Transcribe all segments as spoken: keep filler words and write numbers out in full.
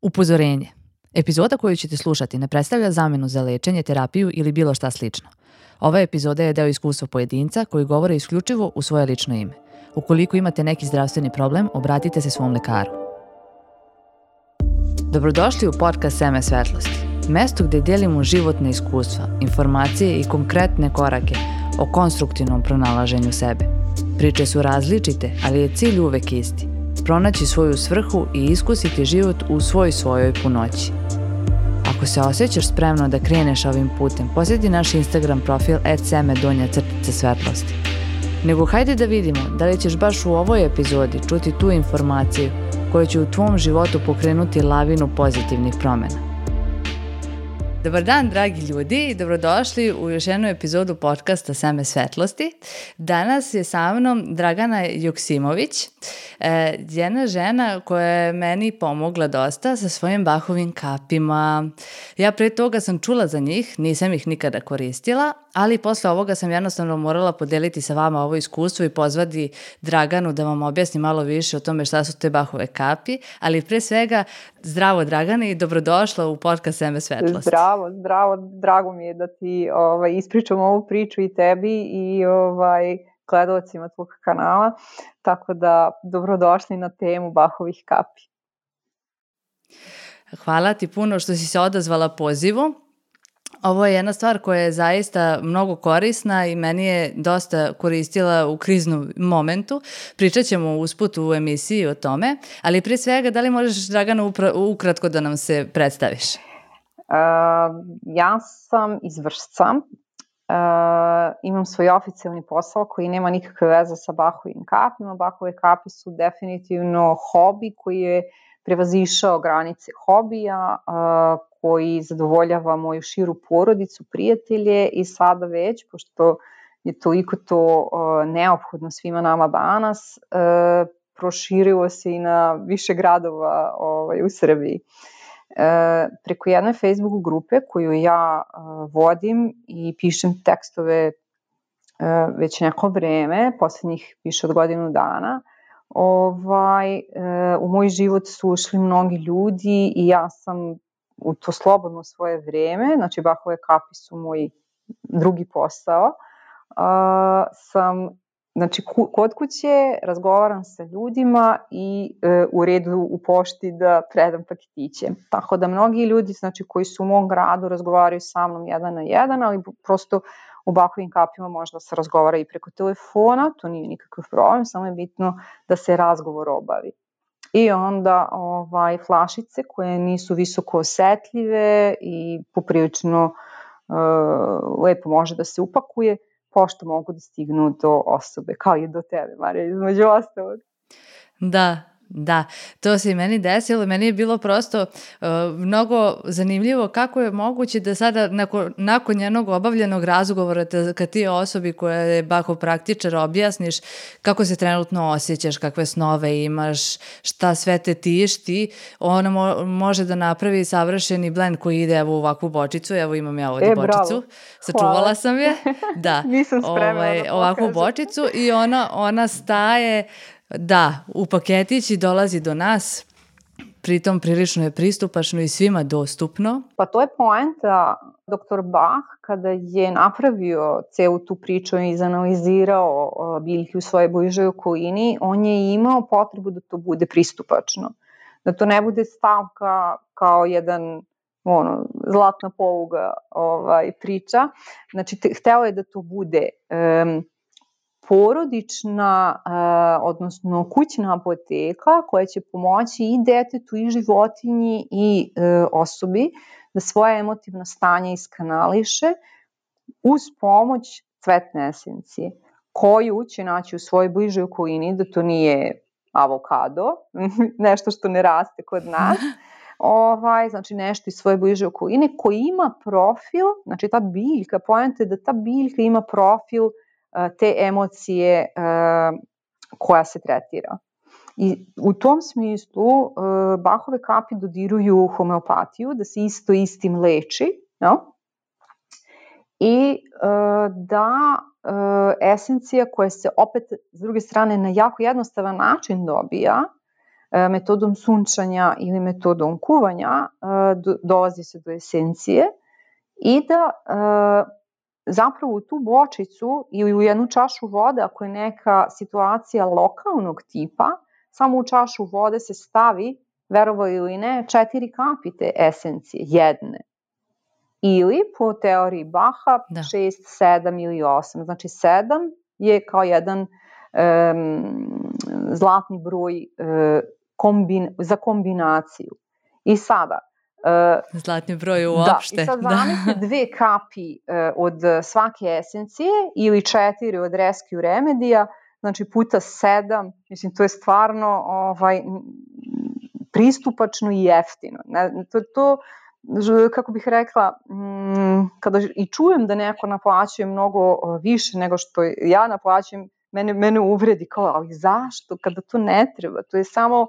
Upozorenje. Epizoda koju ćete slušati ne predstavlja zamenu za lečenje, terapiju ili bilo šta slično. Ova epizoda je deo iskustva pojedinca koji govore isključivo u svoje lično ime. Ukoliko imate neki zdravstveni problem, obratite se svom lekaru. Dobrodošli u podcast Seme svetlosti, mesto gde delimo životne iskustva, informacije i konkretne korake o konstruktivnom pronalaženju sebe. Priče su različite, ali je cilj uvek isti. Pronaći svoju svrhu i iskusiti život u svoj svojoj punoći. Ako se osjećaš spremno da kreneš ovim putem, posjeti naš Instagram profil et seme donja crtica svetlosti. Nego hajde da vidimo da li ćeš baš u ovoj epizodi čuti tu informaciju koja će u tvom životu pokrenuti lavinu pozitivnih promjena. Dobar dan, dragi ljudi, i dobrodošli u još jednu epizodu podcasta Seme svetlosti. Danas je sa mnom Dragana Joksimović, jedna žena koja je meni pomogla dosta sa svojim Bachovim kapima. Ja pre toga sam čula za njih, nisam ih nikada koristila, ali posle ovoga sam jednostavno morala podeliti sa vama ovo iskustvo i pozvati Draganu da vam objasni malo više o tome šta su te Bachove kapi, ali pre svega zdravo Dragana i dobrodošla u podcast Seme svetlosti. Zdravo, zdravo, drago mi je da ti ovaj, ispričam ovu priču i tebi i ovaj, gledalcima tvog kanala, tako da dobrodošli na temu Bachovih kapi. Hvala ti puno što si se odazvala pozivu. Ovo je jedna stvar koja je zaista mnogo korisna i meni je dosta koristila u kriznom momentu. Pričat ćemo usput u emisiji o tome, ali prije svega da li možeš, Dragana, upra- ukratko da nam se predstaviš? Uh, ja sam iz Vršca, uh, imam svoj oficijalni posao koji nema nikakve veze sa Bachovim kapima. Bachove kapi su definitivno hobi koji je prevazišao granice hobija, uh, koji zadovoljava moju širu porodicu, prijatelje i sada već, pošto je toliko to uh, neophodno svima nama danas, uh, proširilo se i na više gradova ovaj, u Srbiji. E, preko jedne Facebook grupe koju ja uh, vodim i pišem tekstove uh, već neko vreme, posljednjih više od godinu dana, ovaj, uh, u moj život su ušli mnogi ljudi i ja sam u to slobodno svoje vreme, znači Bachove kapi su moj drugi posao, uh, sam Znači, kod kuće razgovaram sa ljudima i e, u redu u pošti da predam paketiće. Tako da mnogi ljudi, znači, koji su u mom gradu razgovaraju sa mnom jedan na jedan, ali prosto u Bachovim kapima možda se razgovara i preko telefona, to nije nikakav problem, samo je bitno da se razgovor obavi. I onda ovaj, flašice koje nisu visoko osetljive i poprilično e, lepo može da se upakuje, pošto mogu da stignu do osobe, kao i do tebe, Marija, između ostalog. Da, da, to se i meni desilo. Meni je bilo prosto uh, mnogo zanimljivo kako je moguće da sada nakon, nakon jednog obavljenog razgovora te, kad ti osobi koja je Bachov praktičar objasniš kako se trenutno osjećaš, kakve snove imaš, šta sve te tišti, ona mo- može da napravi savršeni blend koji ide evo u ovakvu bočicu. Evo imam ja ovdje e, bočicu. Bravo. Sačuvala Hvala. sam je. Da. Nisam spremna ovaj, da ovakvu pokažem. bočicu i ona, ona staje. Da, u paketić i dolazi do nas, pritom prilično je pristupačno i svima dostupno. Pa to je poenta. Doktor Bach, kada je napravio celu tu priču i izanalizirao biljke u svojoj bližoj okolini, on je imao potrebu da to bude pristupačno. Da to ne bude stavka kao jedan ono, zlatna poluga ovaj, priča. Znači, te, hteo je da to bude Um, porodična, uh, odnosno kućna apoteka koja će pomoći i detetu i životinji i uh, osobi da svoje emotivno stanje iskanališe uz pomoć cvetne esencije koju će naći u svojoj bližoj okolini, da to nije avokado, nešto što ne raste kod nas, ovaj, znači nešto iz svoje bliže okoline koji ima profil, znači ta biljka, poenta je da ta biljka ima profil te emocije uh, koja se tretira. I u tom smislu uh, Bachove kapi dodiruju homeopatiju, da se isto istim leči, no? I uh, da uh, esencija koja se opet s druge strane na jako jednostavan način dobija, metodom sunčanja ili metodom kuvanja dolazi se do esencije i da zapravo u tu bočicu ili u jednu čašu vode, ako je neka situacija lokalnog tipa, samo u čašu vode se stavi, verovali ili ne, četiri kapi te esencije, jedne. Ili po teoriji Baha da. šest, sedam ili osam. Znači sedam je kao jedan um, zlatni broj uh, kombin, za kombinaciju. I sada Uh, Zlatni broj uopšte. Da, i sad zamislite dve kapi uh, od svake esencije ili četiri od Rescue Remedija, znači puta sedam, mislim to je stvarno ovaj, pristupačno i jeftino. Ne, to, to, kako bih rekla, m, kada i čujem da neko naplaćuje mnogo više nego što ja naplaćujem, mene, mene uvredi kao, ali zašto, kada to ne treba, to je samo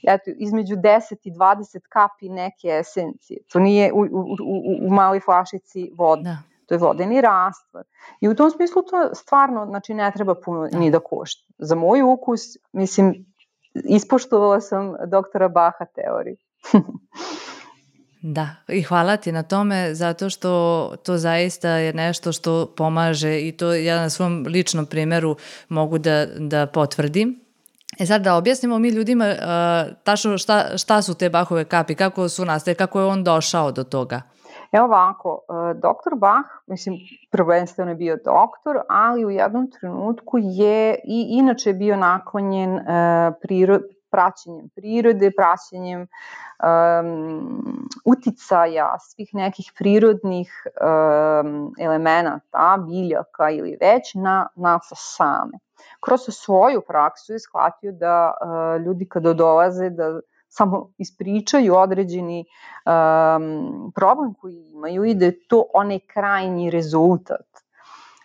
eto, između deset i dvadeset kapi neke esencije. To nije u, u, u, u maloj flašici voda. Da. To je vodeni rastvor. I u tom smislu to stvarno znači, ne treba puno da. ni da košta. Za moj ukus, mislim, ispoštovala sam doktora Baha teoriju. Da, i hvala ti na tome zato što to zaista je nešto što pomaže i to ja na svom ličnom primjeru mogu da, da potvrdim. E sad da objasnimo mi ljudima uh, tačno šta, šta su te Bahove kapi, kako su nastale, kako je on došao do toga? Evo ovako, uh, doktor Bach, mislim, prvenstveno je bio doktor, ali u jednom trenutku je i inače bio naklonjen uh, prirod, praćenjem prirode, praćenjem um, uticaja svih nekih prirodnih um, elemenata, biljaka ili već na nas same. Kroz svoju praksu je shvatio da uh, ljudi kada dolaze da samo ispričaju određeni um, problem koji imaju i da je to onaj krajnji rezultat.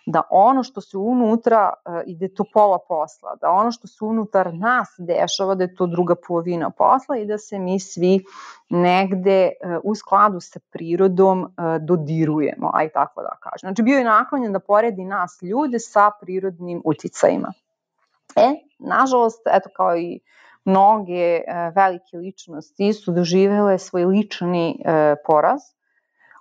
Da ono što se unutra uh, i da je to pola posla, da ono što se unutar nas dešava da je to druga polovina posla i da se mi svi negde uh, u skladu sa prirodom uh, dodirujemo, aj tako da kažem. Znači bio je naklonjen da poredi nas ljude sa prirodnim uticajima. E, nažalost, eto kao i mnoge uh, velike ličnosti su doživele svoj lični uh, poraz.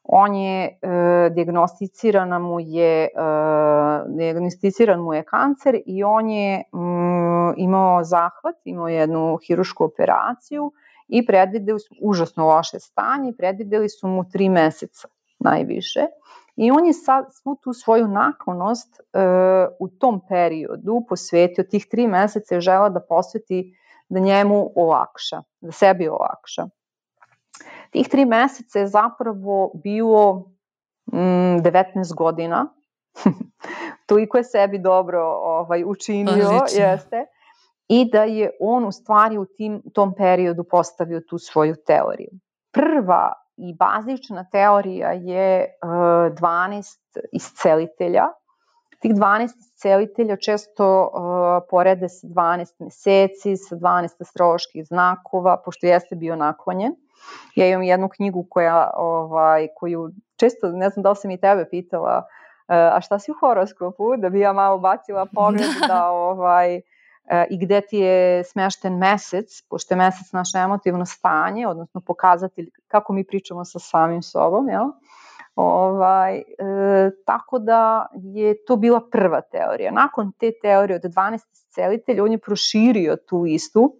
On je, uh, dijagnosticiran mu je, uh, dijagnosticiran mu je kancer i on je um, imao zahvat, imao jednu hirušku operaciju i predvideli su užasno loše stanje, predvideli su mu tri meseca najviše. I on je sad svu tu svoju naklonost uh, u tom periodu posvetio, tih tri meseca je želeo da posveti da njemu olakša, da sebi olakša. Tih tri meseca je zapravo bilo mm, devetnaest godina, toliko je sebi dobro ovaj, učinio, Odlično. jeste, i da je on u stvari u tim, tom periodu postavio tu svoju teoriju. Prva i bazična teorija je uh, dvanaest iscelitelja. Tih dvanaest iscelitelja često uh, porede sa dvanaest meseci, sa dvanaest astroloških znakova, pošto jeste bio naklonjen. Ja imam jednu knjigu koja, ovaj, koju često, ne znam da li sam i tebe pitala, uh, a šta si u horoskopu, da bi ja malo bacila pogled da ovaj, i gde ti je smešten mesec, pošto je mesec naše emotivno stanje, odnosno pokazatelj kako mi pričamo sa samim sobom, jel? Ovaj, e, tako da je to bila prva teorija. Nakon te teorije od dvanaest iscelitelja, on je proširio tu istu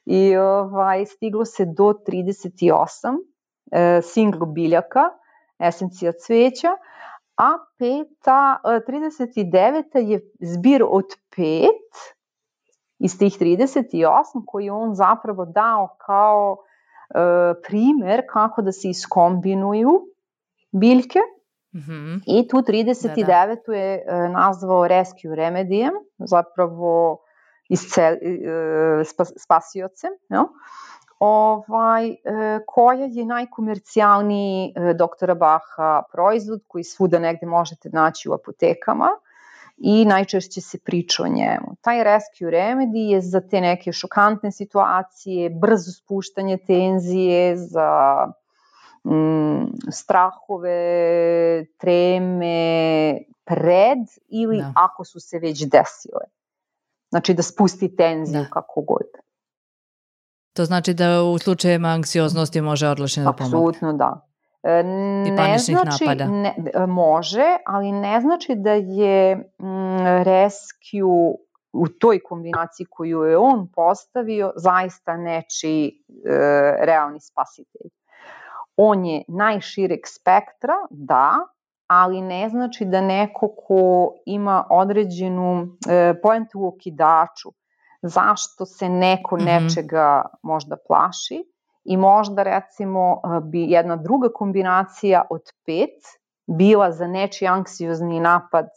i ovaj, stiglo se do trideset osam e, single biljaka, esencija cveća, a peta, trideset deveta je zbir od pet iz tih trideset osam koji je on zapravo dao kao e, primer kako da se iskombinuju biljke. Mm-hmm. I tu trideset devetu da, da. je e, nazvao Rescue Remedijem, zapravo iscel, e, spas, spasiocem, no? ovaj, e, koja je najkomercijalniji e, doktora Baha proizvod koji svuda negde možete naći u apotekama i najčešće se priča o njemu. Taj Rescue Remedy je za te neke šokantne situacije, brzo spuštanje tenzije, za mm, strahove, treme, pred ili da. ako su se već desile. Znači da spusti tenziju da. kako god. To znači da u slučajevima anksioznosti može odlično da pomogne. Apsolutno da. E, I ne paničnih znači, napada. ne, može, ali ne znači da je mm, Rescue u toj kombinaciji koju je on postavio zaista nečiji e, realni spasitelj. On je najšireg spektra, da, ali ne znači da neko ko ima određenu e, poentu u okidaču, zašto se neko Mhm. nečega možda plaši i možda recimo bi jedna druga kombinacija od pet bila za nečiji anksiozni napad e,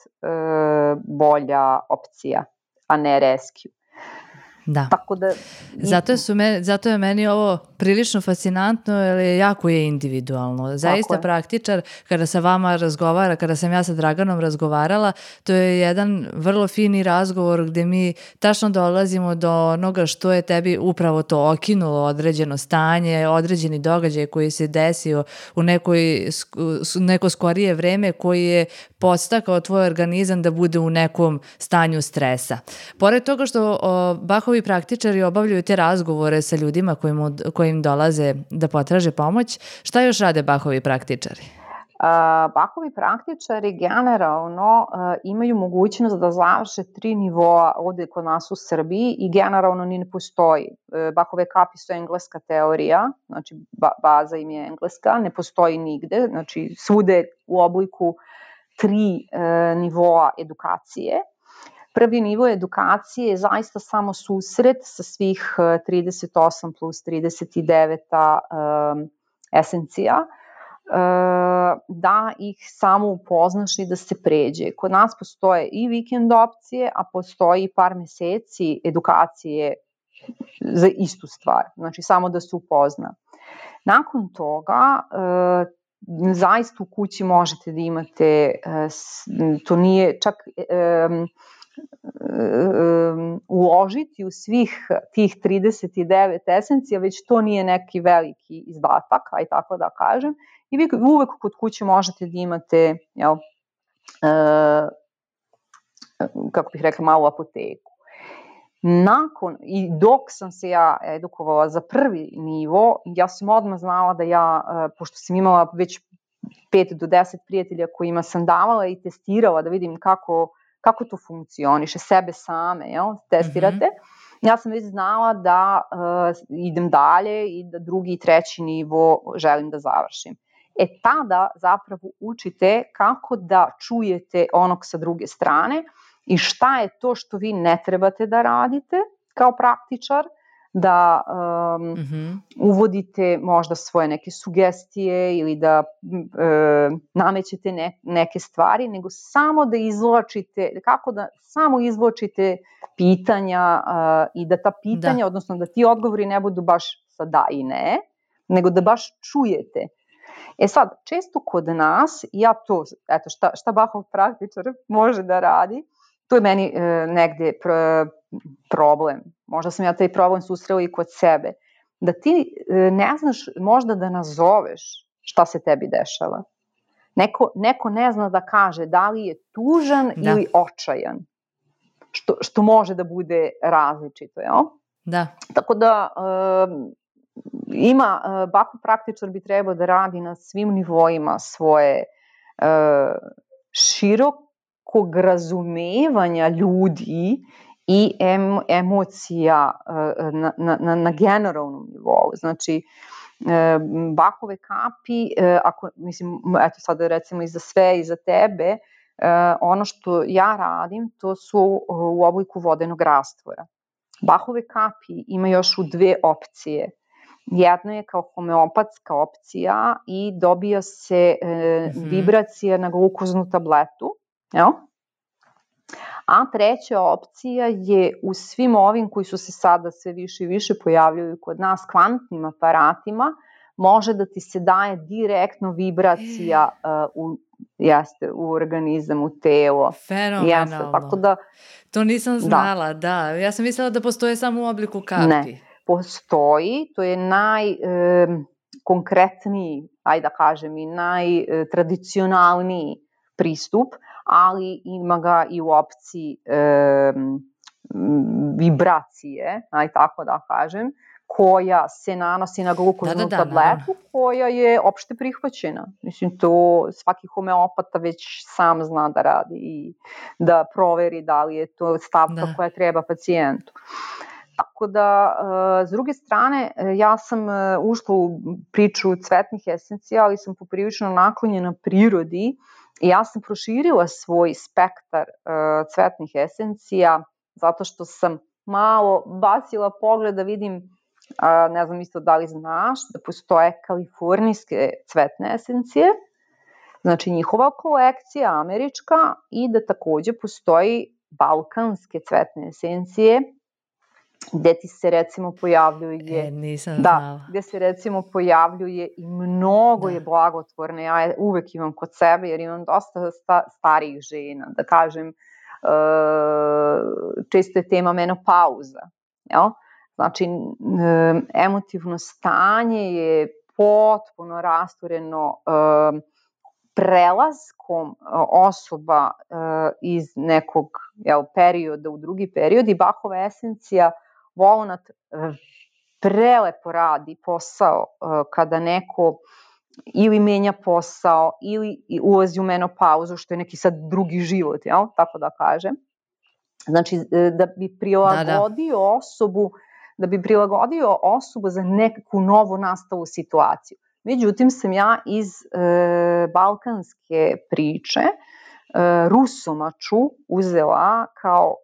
bolja opcija, a ne Rescue. Da. Tako da... Zato, su me, zato je meni ovo prilično fascinantno, jer jako je individualno. Zaista je. praktičar, kada sa vama razgovara, kada sam ja sa Draganom razgovarala, to je jedan vrlo fini razgovor gde mi tačno dolazimo do onoga što je tebi upravo to okinulo, određeno stanje, određeni događaj koji se desio u nekoj, neko skorije vreme koji je podstakao tvoj organizam da bude u nekom stanju stresa. Pored toga što o, Bachovi praktičari obavljaju te razgovore sa ljudima kojim, kojim dolaze da potraže pomoć, šta još rade Bachovi praktičari? Uh, Bachovi praktičari generalno uh, imaju mogućnost da završe tri nivoa ovde kod nas u Srbiji i generalno ni ne postoji. Uh, Bachove kapi su engleska teorija, znači ba- baza im je engleska, ne postoji nigde, znači svude u obliku tri uh, nivoa edukacije. Prvi nivo edukacije je zaista samo susret sa svih trideset osam plus trideset devet um, esencija, uh, da ih samo upoznaš i da se pređe. Kod nas postoje i vikend opcije, a postoji par meseci edukacije za istu stvar, znači samo da se upozna. Nakon toga, uh, zaista u kući možete da imate, uh, to nije čak... Um, uložiti u svih tih trideset devet esencija, već to nije neki veliki izdatak, aj tako da kažem, i vi uvek kod kuće možete da imate, jel, e, kako bih rekla, malu apoteku. Nakon, i dok sam se ja edukovala za prvi nivo, ja sam odmah znala da ja, pošto sam imala već pet do deset prijatelja kojima sam davala i testirala da vidim kako kako to funkcioniše, sebe same, jel, testirate. Mm-hmm. Ja sam već znala da uh, idem dalje i da drugi i treći nivo želim da završim. E tada zapravo učite kako da čujete onog sa druge strane i šta je to što vi ne trebate da radite kao praktičar, da um, mm-hmm. uvodite možda svoje neke sugestije ili da e, namećete ne, neke stvari, nego samo da izvlačite, kako da samo izvlačite pitanja uh, i da ta pitanja, da. odnosno da ti odgovori ne budu baš sa da i ne, nego da baš čujete. E sad, često kod nas, ja to, eto, šta, šta Bachov praktičar može da radi, to je meni e, negde pr, problem. Možda sam ja taj problem susrela i kod sebe. Da ti e, ne znaš možda da nazoveš šta se tebi dešava. Neko, neko ne zna da kaže da li je tužan da. ili očajan. Što, što može da bude različito, jel? Da. Tako da e, ima, e, Bachov praktičar bi trebao da radi na svim nivoima svoje e, širokog razumevanja ljudi i em, emocija na, na, na generalnom nivou. Znači, Bachove kapi, ako, mislim, eto sad recimo i za sve i za tebe, ono što ja radim, to su u obliku vodenog rastvora. Bachove kapi ima još u dve opcije. Jedno je kao homeopatska opcija i dobija se e, mm-hmm. vibracija na glukoznu tabletu, jel? A treća opcija je u svim ovim koji su se sada sve više i više pojavljaju kod nas kvantnim aparatima, može da ti se daje direktno vibracija uh, u, jeste, u organizam, u telo. Fenomenalno. Jeste, tako da, to nisam znala, da. da. Ja sam mislila da postoje samo u obliku kapi. Ne, postoji, to je najkonkretniji, ajde da kažem, i najtradicionalniji pristup, ali ima ga i u opciji e, vibracije, aj tako da kažem, koja se nanosi na glukoznu da, da, da, tabletu, naravno. koja je opšte prihvaćena. Mislim, to svaki homeopata već sam zna da radi i da proveri da li je to stavka Da. koja treba pacijentu. Tako da, s druge strane, ja sam ušla u priču cvetnih esencija, ali sam poprilično naklonjena prirodi i ja sam proširila svoj spektar cvetnih esencija zato što sam malo bacila pogled da vidim, ne znam isto da li znaš, da postoje kalifornijske cvetne esencije, znači njihova kolekcija američka, i da takođe postoji balkanske cvetne esencije, gde ti se recimo pojavljuje, e, nisam da, znala. gde se recimo pojavljuje i mnogo da. je blagotvorne, ja je uvek imam kod sebe jer imam dosta sta, starijih žena, da kažem, e, često je tema menopauza, jel? Znači, e, emotivno stanje je potpuno rastureno e, prelaskom osoba e, iz nekog jel, perioda u drugi period, i Bachova esencija Volnat prelepo radi posao kada neko ili menja posao ili ulazi u menopauzu, što je neki sad drugi život, jel? Tako da kažem. Znači, da bi prilagodio da, da. osobu, da bi prilagodio osobu za neku novu nastalu situaciju. Međutim, sam ja iz e, balkanske priče e, rusomaču uzela kao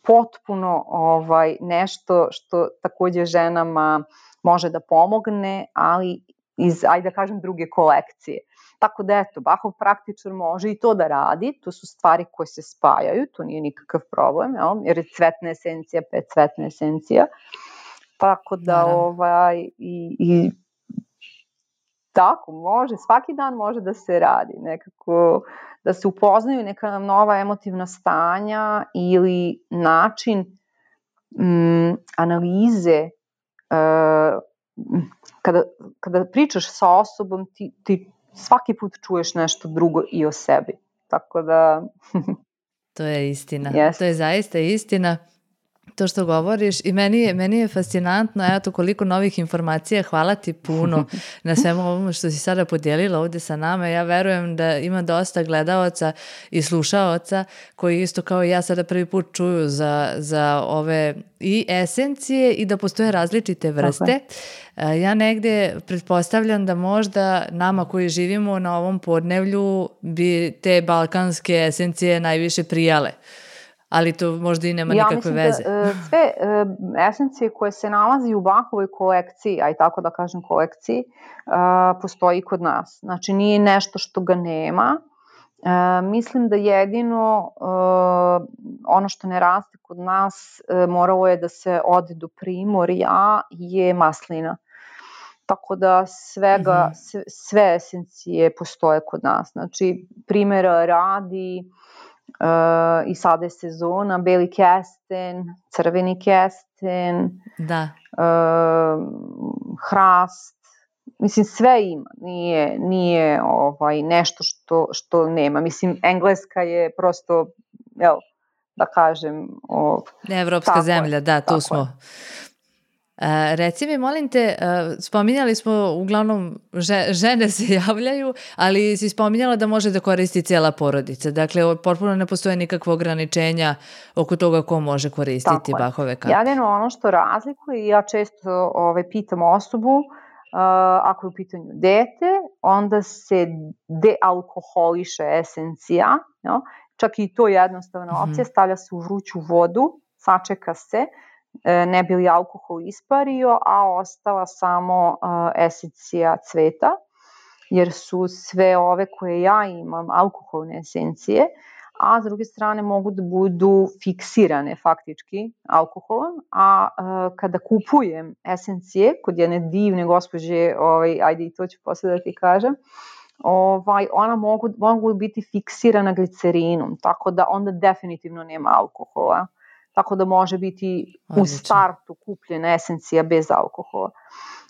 potpuno ovaj, nešto što takođe ženama može da pomogne, ali iz, ajde da kažem, druge kolekcije. Tako da eto, Bachov praktičar može i to da radi, to su stvari koje se spajaju, to nije nikakav problem, jel? Jer je cvetna esencija, pet cvetna esencija. Tako da, Naravno. ovaj, i, i tako, može, svaki dan može da se radi, nekako da se upoznaju neka nova emotivna stanja ili način mm, analize. Uh, kada, kada pričaš sa osobom, ti, ti svaki put čuješ nešto drugo i o sebi. Tako da... To je istina. Yes. To je zaista istina. To što govoriš i meni je, meni je fascinantno, eto koliko novih informacija, hvala ti puno na svemu ovom što si sada podijelila ovdje sa nama. Ja verujem da ima dosta gledalaca i slušaoca koji isto kao i ja sada prvi put čuju za, za ove i esencije i da postoje različite vrste. Okay. Ja negdje pretpostavljam da možda nama koji živimo na ovom podnevlju bi te balkanske esencije najviše prijale. Ali to možda i nema ja nikakve veze. Ja mislim da sve uh, esencije koje se nalazi u Bachovoj kolekciji, aj tako da kažem kolekciji, uh, postoji kod nas. Znači nije nešto što ga nema. Uh, mislim da jedino uh, ono što ne raste kod nas uh, moralo je da se ode do Primorja je maslina. Tako da svega, mm-hmm. sve, sve esencije postoje kod nas. Znači primjera radi... Uh, i sada je sezona, beli kesten, crveni kesten, da. Uh, hrast, mislim sve ima, nije, nije ovaj, nešto što, što nema, mislim Engleska je prosto, jel, da kažem... O, Evropska zemlja, da, tu smo... Je. Uh, reci mi, molim te, uh, spominjali smo, uglavnom že, žene se javljaju, ali si spominjala da može da koristi cijela porodica. Dakle, potpuno ne postoje nikakve ograničenja oko toga ko može koristiti Bachove kape. Jedino ono što razlikuje, ja često ovaj, pitam osobu, uh, ako je u pitanju dete, onda se dealkoholiše esencija, jo? Čak i to je jednostavna opcija, mm-hmm. stavlja se u vruću vodu, sačeka se, ne bi li alkohol ispario, a ostala samo uh, esencija cveta, jer su sve ove koje ja imam alkoholne esencije, a s druge strane mogu da budu fiksirane faktički alkoholom, a uh, kada kupujem esencije kod jedne divne gospođe, ovaj, ajde i to ću posle da ti kažem, ovaj, ona mogu, mogu biti fiksirana glicerinom, tako da onda definitivno nema alkohola. Tako da može biti Odlično. U startu kupljena esencija bez alkohola.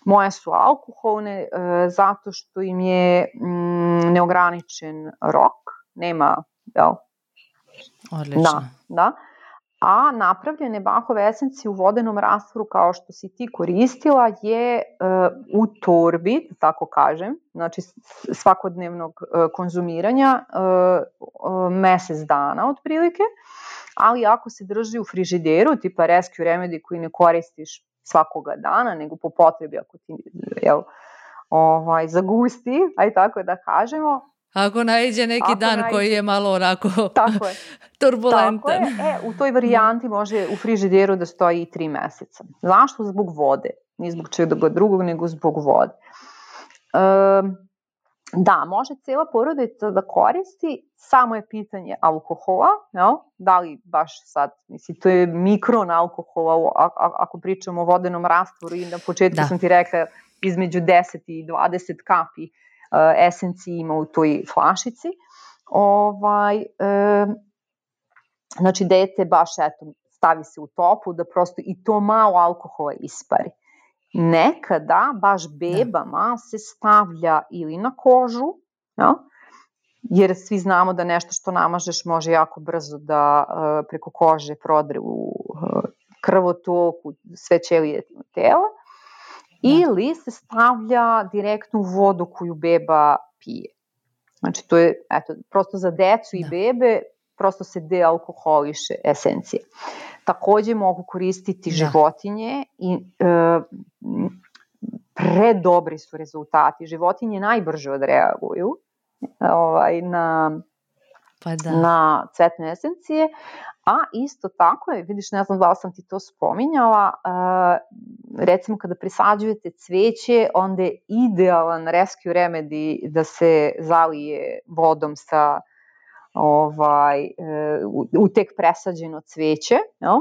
Moje su alkoholne e, zato što im je mm, neograničen rok, nema, jel? Odlično. Da, da. A napravljene Bachove esencije u vodenom rastvoru kao što si ti koristila je uh, u torbi, tako kažem, znači svakodnevnog uh, konzumiranja uh, uh, mesec dana otprilike, ali ako se drži u frižideru, tipa Rescue Remedy koji ne koristiš svakoga dana, nego po potrebi ako ti jel, ovaj, zagusti, aj tako da kažemo. Ako naiđe neki ako dan naiđe, koji je malo onako tako je, turbulentan. Tako je. E, u toj varijanti može u frižideru da stoji i tri meseca. Zašto? Zbog vode. Nije zbog čega drugog, nego zbog vode. Um, da, može cijela porodica da koristi, samo je pitanje alkohola, jel? Da li baš sad, mislim, to je mikron alkohola, ako pričamo o vodenom rastvoru i na početku da. sam ti rekla između deset i dvadeset kapi uh, esencije ima u toj flašici. Ovaj, um, znači, dete baš eto, stavi se u toplu da prosto i to malo alkohola ispari. Nekada baš bebama da. se stavlja ili na kožu, ja? Jer svi znamo da nešto što namažeš može jako brzo da uh, preko kože prodre u uh, krvotok, u sve ćelije tela, da. ili se stavlja direktno u vodu koju beba pije. Znači, to je eto, prosto za decu da. i bebe, prosto se dealkoholiše esencije. Takođe mogu koristiti da. životinje i e, predobri su rezultati. Životinje najbrže odreaguju ovaj, na, pa da. na cvetne esencije, a isto tako je, vidiš, ne znam da li sam ti to spominjala, e, recimo kada presađujete cveće, onda je idealan Rescue Remedy da se zalije vodom sa ovaj, u, u tek presađeno cveće, jel?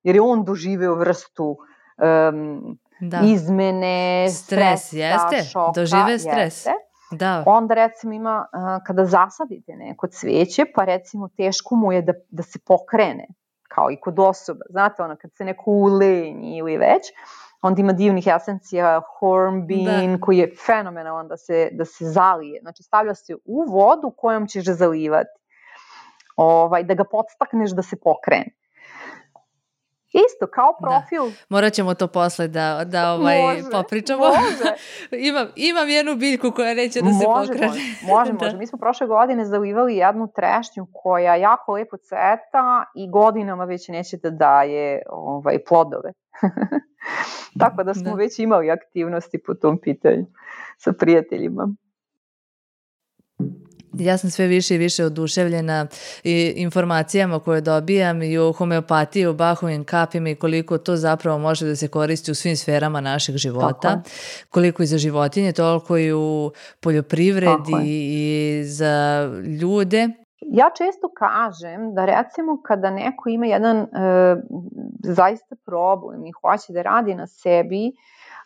Jer je on doživeo vrstu um, da. izmene, stres, stresa, jeste? šoka. Dožive stres. Jeste. Da. Onda recimo ima, uh, kada zasadite neko cveće, pa recimo teško mu je da, da se pokrene, kao i kod osoba. Znate, ono, kad se neko ulenji ili već, onda ima divnih esencija, hornbean, da. koji je fenomenalan da se, da se zalije. Znači, stavlja se u vodu kojom ćeš zalivati. Ovaj, da ga podstakneš da se pokrene. Isto, kao profil. Da. Morat ćemo to posle da, da ovaj, može, popričamo. Može. imam, imam jednu biljku koja neće da se može, pokrene. Može, može, da. može. Mi smo prošle godine zalivali jednu trešnju koja jako lepo cveta i godinama već neće da daje ovaj, plodove. Tako da smo da. već imali aktivnosti po tom pitanju sa prijateljima. Ja sam sve više i više oduševljena i informacijama koje dobijam i o homeopatiji, o Bachovim kapima i koliko to zapravo može da se koristi u svim sferama našeg života. Koliko i za životinje, toliko i u poljoprivredi i za ljude. Ja često kažem da recimo kada neko ima jedan e, zaista problem i hoće da radi na sebi,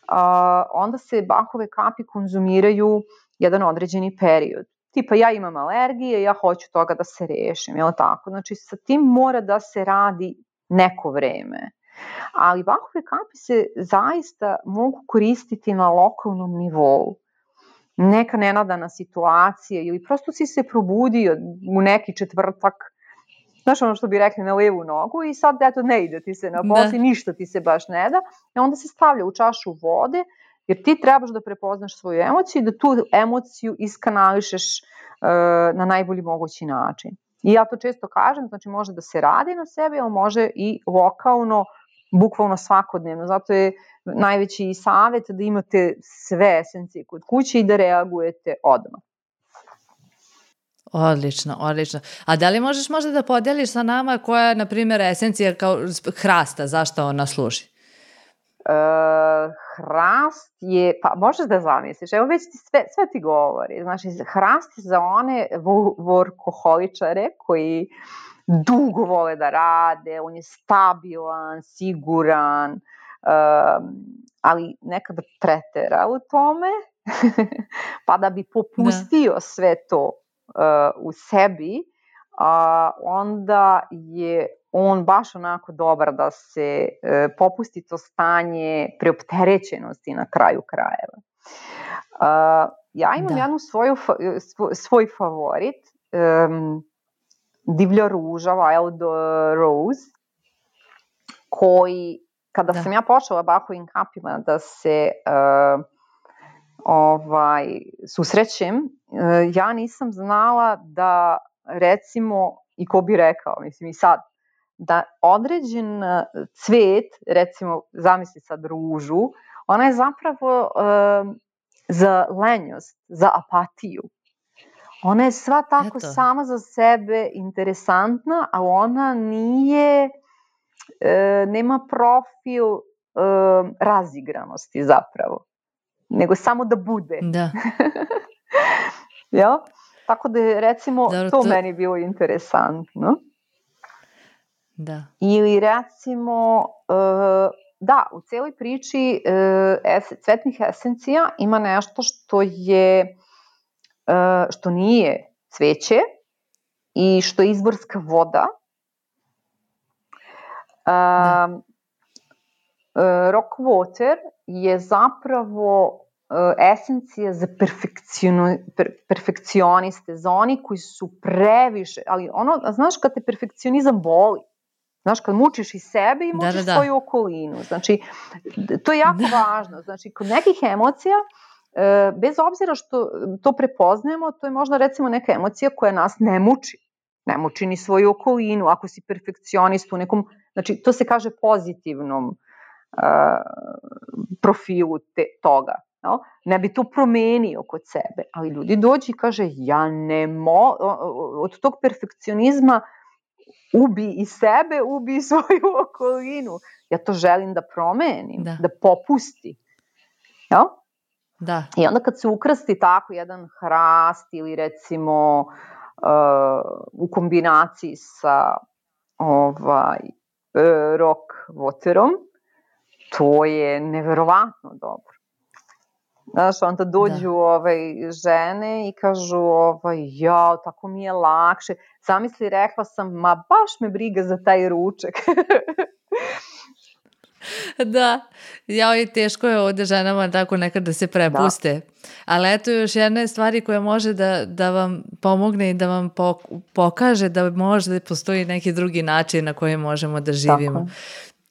a, onda se Bachove kapi konzumiraju jedan određeni period. Tipa ja imam alergije, ja hoću toga da se rešim, je li tako? Znači sa tim mora da se radi neko vreme. Ali Bachove kapi se zaista mogu koristiti na lokalnom nivou. Neka nenadana situacija ili prosto si se probudio u neki četvrtak, znaš ono što bi rekli na levu nogu i sad eto ne ide ti se na posli, ništa ti se baš ne da, i onda se stavlja u čašu vode, jer ti trebaš da prepoznaš svoju emociju i da tu emociju iskanališeš uh, na najbolji mogući način. I ja to često kažem, znači može da se radi na sebi, ali može i lokalno, bukvalno svakodnevno. Zato je najveći savjet da imate sve esencije kod kuće i da reagujete odmah. Odlično, odlično. A da li možeš možda da podeliš sa nama koja je, na primjer, esencija kao hrasta, zašto ona služi? Uh, hrast je, pa možeš da zamisliš, evo već ti sve, sve ti govori, znači hrast je za one workoholičare koji dugo vole da rade, on je stabilan, siguran, um, ali nekada pretera u tome, pa da bi popustio da. sve to uh, u sebi, uh, onda je on baš onako dobar da se uh, popusti to stanje preopterećenosti na kraju krajeva. Uh, ja imam da. jednu svoju, svoj, svoj favorit, um, divlja ruža, Wild Rose, koji, kada Da. sam ja počela Bachovim kapima da se uh, ovaj, susrećem, uh, ja nisam znala da, recimo, i ko bi rekao, mislim i sad, da određen cvet, recimo, zamisli sad ružu, ona je zapravo uh, za lenjost, za apatiju. Ona je sva tako Eto. sama za sebe interesantna, a ona nije, e, nema profil e, razigranosti zapravo, nego samo da bude. Da. Jel? Tako da je, recimo, Dobro, to to- meni bilo interesantno. Da. Ili recimo, e, da, u celoj priči e, es, cvetnih esencija ima nešto što je, e, što nije cveće i što je izvorska voda. Da. Um, e, rock water je zapravo e, esencija za per, perfekcioniste, za oni koji su previše, ali ono, znaš kad te perfekcionizam boli, znaš, kad mučiš i sebe i mučiš Da, da, da. svoju okolinu. Znači, to je jako Da. važno. Znači, kod nekih emocija, e, bez obzira što to prepoznajemo, to je možda recimo neka emocija koja nas ne muči. Ne muči ni svoju okolinu. Ako si perfekcionist u nekom, znači, to se kaže pozitivnom uh, profilu te, toga. No? Ne bi to promenio kod sebe. Ali ljudi dođu i kaže, ja ne mo... od tog perfekcionizma ubi i sebe, ubi i svoju okolinu. Ja to želim da promenim, Da. da popusti. Ja? Da. I onda kad se ukrsti tako jedan hrast ili recimo uh, u kombinaciji sa ovaj, uh, rock waterom, to je neverovatno dobro. Znaš, onda dođu Da. ovaj, žene i kažu, ovaj, ja, tako mi je lakše. Zamisli, rekla sam, ma baš me briga za taj ručak. Da, ja i teško je ovdje ženama tako nekad da se prepuste. Da. Ali eto još jedna stvari koja može da, da vam pomogne i da vam pokaže da može da postoji neki drugi način na koji možemo da živimo. Tako,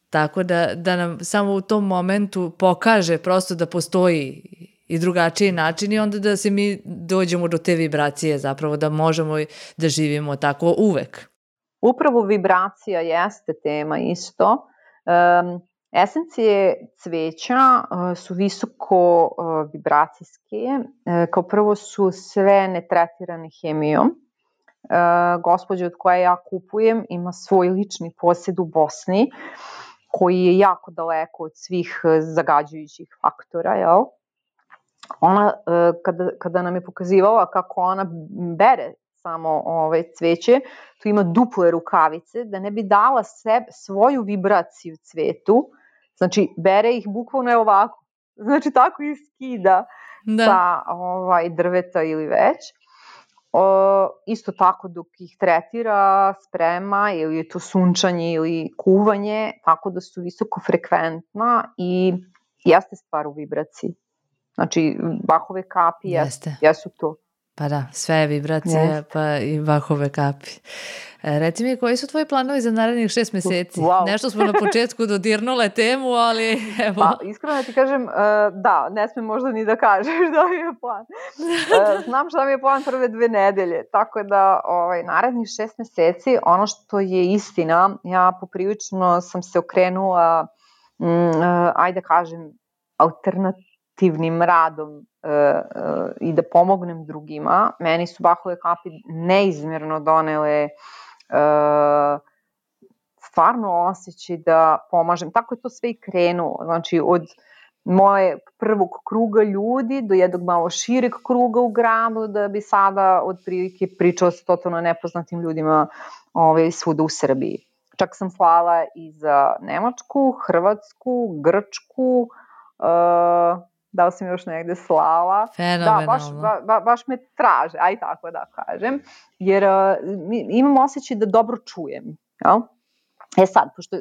tako da, da nam samo u tom momentu pokaže prosto da postoji i drugačiji način i onda da se mi dođemo do te vibracije zapravo, da možemo da živimo tako uvek. Upravo vibracija jeste tema isto. Um, Esencije cveća uh, su visoko uh, vibracijske. Uh, kao prvo su sve netretirane hemijom. Uh, gospođa od koje ja kupujem ima svoj lični posjed u Bosni koji je jako daleko od svih uh, zagađujućih faktora. Jel? Ona, uh, kada, kada nam je pokazivala kako ona bere samo ovaj, cveće, tu ima duple rukavice, da ne bi dala sebe, svoju vibraciju cvetu, znači bere ih bukvalno ovako, znači tako ih skida da. sa ovaj, drveta ili već. O, isto tako dok ih tretira, sprema, ili je to sunčanje ili kuvanje, tako da su visoko frekventna i jeste stvar u vibraciji. Znači, Bachove kapi jeste. jesu to. Pa da, sve je vibracija, yes. pa i Bachove kapi. E, reci mi, koji su tvoji planovi za narednih šest meseci? Wow. Nešto smo na početku dodirnule temu, ali evo. Pa, iskreno ti kažem, uh, da, ne smem možda ni da kažeš da mi je plan. Uh, znam šta mi je plan prve dve nedelje, tako da ovaj, narednih šest meseci, ono što je istina, ja poprilično sam se okrenula, um, uh, ajde kažem, alternativnim radom uh, uh, i da pomognem drugima. Meni su Bachove kapi neizmjerno donele uh, stvarno osjećaj da pomažem. Tako je to sve i krenulo. Znači, od moje prvog kruga ljudi do jednog malo šireg kruga u gradu, da bi sada od prilike pričala sa totalno nepoznatim ljudima ovaj, svuda u Srbiji. Čak sam slala i za Nemačku, Hrvatsku, Grčku, uh, da li sam još negde slala. Fenomenalno. Da, baš, ba, ba, baš me traže, aj tako da kažem, jer uh, imam osjećaj da dobro čujem, jel? E sad, pošto...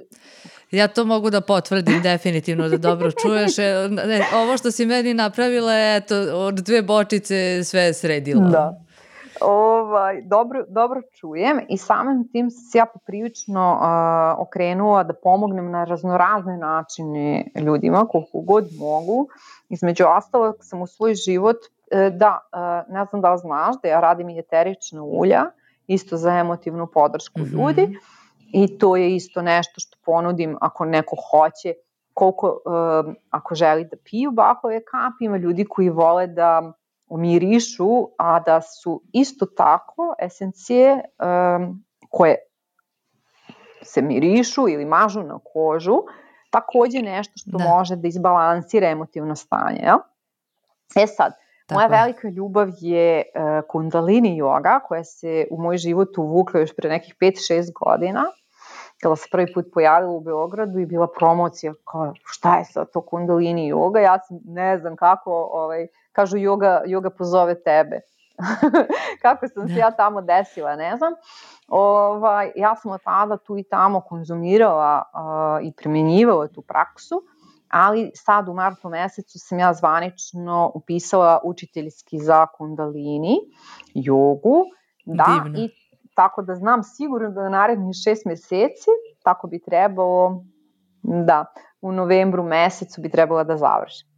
Ja to mogu da potvrdim definitivno da dobro čuješ. Ne, ovo što si meni napravila, eto, od dve bočice sve je sredilo. Da. ovaj, dobro, dobro čujem i samim tim se ja poprilično uh, okrenula da pomognem na raznorazne načine ljudima, koliko god mogu. Između ostalog sam u svoj život, uh, da, uh, ne znam da li znaš, da ja radim i eterična ulja, isto za emotivnu podršku mm-hmm. ljudi i to je isto nešto što ponudim ako neko hoće, koliko, uh, ako želi da piju Bachove kapi, ima ljudi koji vole da umirišu, a da su isto tako esencije um, koje se mirišu ili mažu na kožu, takođe nešto što da. može da izbalansira emotivno stanje. Ja? E sad, tako moja je. velika ljubav je uh, kundalini yoga, koja se u moj život uvukla još pre nekih pet šest godina, kada se prvi put pojavila u Beogradu i bila promocija kao šta je sad to kundalini yoga, ja sam ne znam kako, ovaj, kažu yoga, yoga pozove tebe. Kako sam se ja tamo desila, ne znam. Ovaj, ja sam od tada tu i tamo konzumirala uh, i primjenjivala tu praksu, ali sad u martu mesecu sam ja zvanično upisala učiteljski za kundalini jogu. Da, divno. I tako da znam sigurno da na narednih šest meseci, tako bi trebalo, da, u novembru mesecu bi trebala da završim.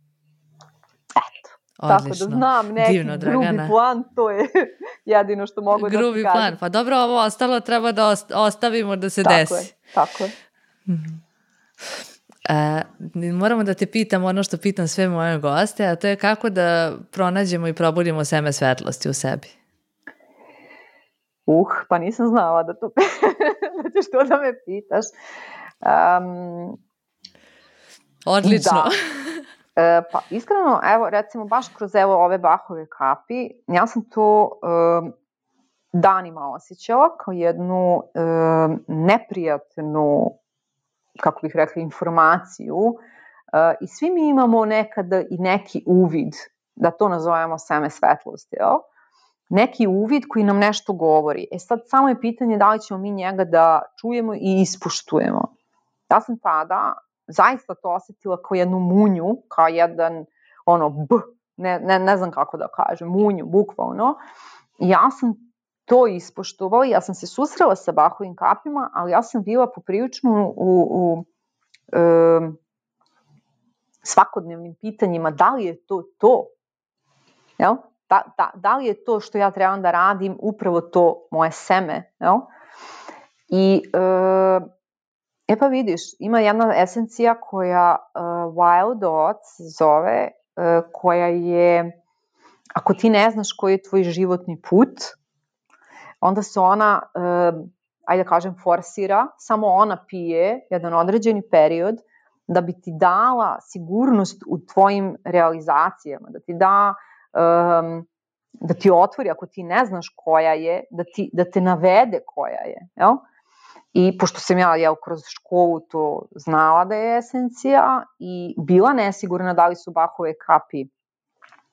Eto, odlično. Tako da znam neki divno, grubi plan, to je jedino što mogu grubi da ti kažem. Grubi plan, pa dobro, ovo ostalo treba da ostavimo da se tako desi. Tako je, tako je. Mm-hmm. E, moramo da te pitam ono što pitam sve moje goste, a to je kako da pronađemo i probudimo seme svetlosti u sebi. Uh, pa nisam znala da to da ćeš to da me pitaš. Um, Odlično. Da. E, pa iskreno, evo recimo baš kroz evo ove Bachove kapi, ja sam to um, danima osjećala kao jednu um, neprijatnu, kako bih rekla, informaciju uh, i svi mi imamo nekada i neki uvid, da to nazovemo seme svetlosti, jel? Neki uvid koji nam nešto govori. E sad samo je pitanje da li ćemo mi njega da čujemo i ispoštujemo. Ja sam tada zaista to osetila kao jednu munju, kao jedan ono b, ne, ne, ne znam kako da kažem, munju, bukvalno. I ja sam to ispoštovala, ja sam se susrela sa Bachovim kapima, ali ja sam bila poprilično u, u e, svakodnevnim pitanjima da li je to to, jel? Da, da, da li je to što ja trebam da radim upravo to moje seme, jel? I e, e pa vidiš, ima jedna esencija koja uh, Wild Oats zove, uh, koja je, ako ti ne znaš koji je tvoj životni put, onda se ona, uh, ajde da kažem, forsira, samo ona pije jedan određeni period da bi ti dala sigurnost u tvojim realizacijama, da ti da, um, da ti otvori, ako ti ne znaš koja je, da, ti, da te navede koja je, jel? I pošto sam ja, jel, kroz školu to znala da je esencija i bila nesigurna da li su Bachove kapi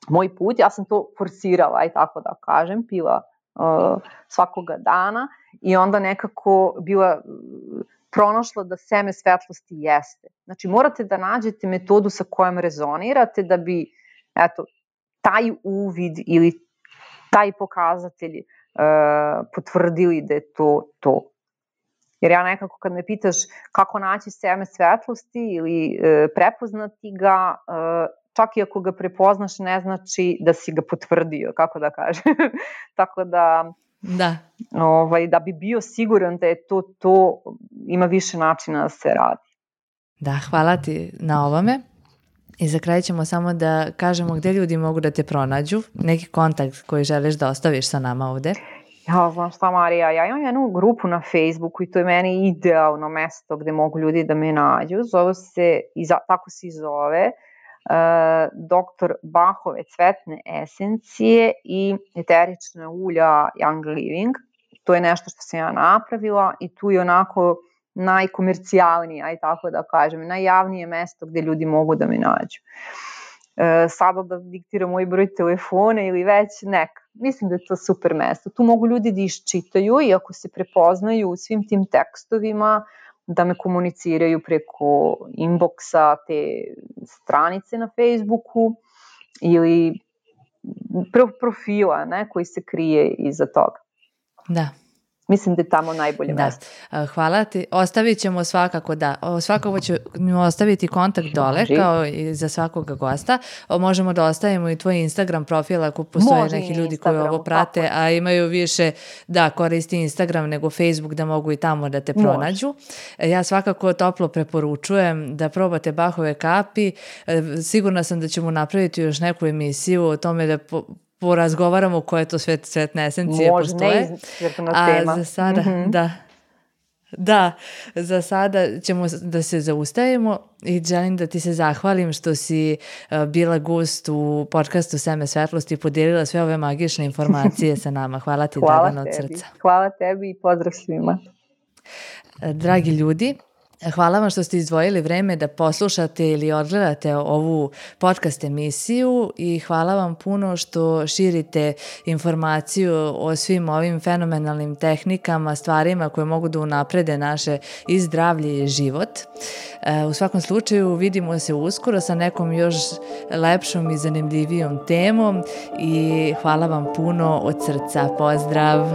moj put, ja sam to forsirala, aj tako da kažem, pila uh, svakoga dana i onda nekako bila uh, pronašla da seme svetlosti jeste. Znači morate da nađete metodu sa kojom rezonirate da bi, eto, taj uvid ili taj pokazatelj uh, potvrdili da je to to. Jer ja nekako kad me pitaš kako naći seme svetlosti ili e, prepoznati ga, e, čak i ako ga prepoznaš ne znači da si ga potvrdio, kako da kažem. Tako da, da. Ovaj, da bi bio siguran da je to to, ima više načina da se radi. Da, hvala ti na ovome. I za kraj ćemo samo da kažemo gde ljudi mogu da te pronađu, neki kontakt koji želiš da ostaviš sa nama ovde. Ja znam šta, Marija, ja imam jednu grupu na Facebooku i to je meni idealno mesto gde mogu ljudi da me nađu. Zove se, tako se zove, uh, doktor Bachove cvetne esencije i eterična ulja Young Living. To je nešto što sam ja napravila i tu je onako najkomercijalnije, aj tako da kažem, najjavnije mesto gde ljudi mogu da me nađu. Uh, sada da diktiram moj broj telefona ili već neka. Mislim da je to super mesto. Tu mogu ljudi da iščitaju i ako se prepoznaju u svim tim tekstovima, da me komuniciraju preko inboxa te stranice na Facebooku ili profila, ne, koji se krije iza toga. Da. Mislim da je tamo najbolje da. mesto. Hvala ti. Ostavit ćemo svakako, da, svakako ćemo ostaviti kontakt dole, Može. kao i za svakoga gosta. Možemo da ostavimo i tvoj Instagram profil ako postoje Može neki ljudi koji ovo prate, tako. a imaju više, da, koristi Instagram nego Facebook, da mogu i tamo da te pronađu. Može. Ja svakako toplo preporučujem da probate Bachove kapi. Sigurna sam da ćemo napraviti još neku emisiju o tome da po, porazgovaramo koje to sve cvetne esencije Može, postoje. Može, ne tema. A za sada, mm-hmm. da, da, za sada ćemo da se zaustavimo i želim da ti se zahvalim što si uh, bila gost u podcastu Seme svetlosti i podijelila sve ove magične informacije sa nama. Hvala ti, Hvala Dragana, od srca. Hvala tebi i pozdrav svima. Dragi ljudi, hvala vam što ste izdvojili vreme da poslušate ili odgledate ovu podcast emisiju i hvala vam puno što širite informaciju o svim ovim fenomenalnim tehnikama, stvarima koje mogu da unaprede naše i zdravlje i život. U svakom slučaju vidimo se uskoro sa nekom još lepšom i zanimljivijom temom i hvala vam puno od srca. Pozdrav!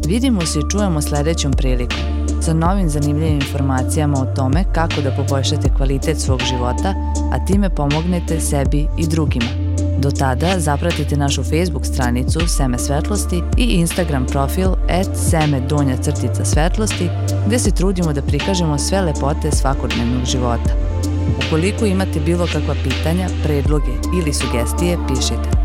Vidimo se i čujemo sledećom prilikom sa novim zanimljivim informacijama o tome kako da poboljšate kvalitet svog života, a time pomognete sebi i drugima. Do tada zapratite našu Facebook stranicu Seme svetlosti i Instagram profil at seme donja crtica svetlosti, gde se trudimo da prikažemo sve lepote svakodnevnog života. Ukoliko imate bilo kakva pitanja, predloge ili sugestije, pišite.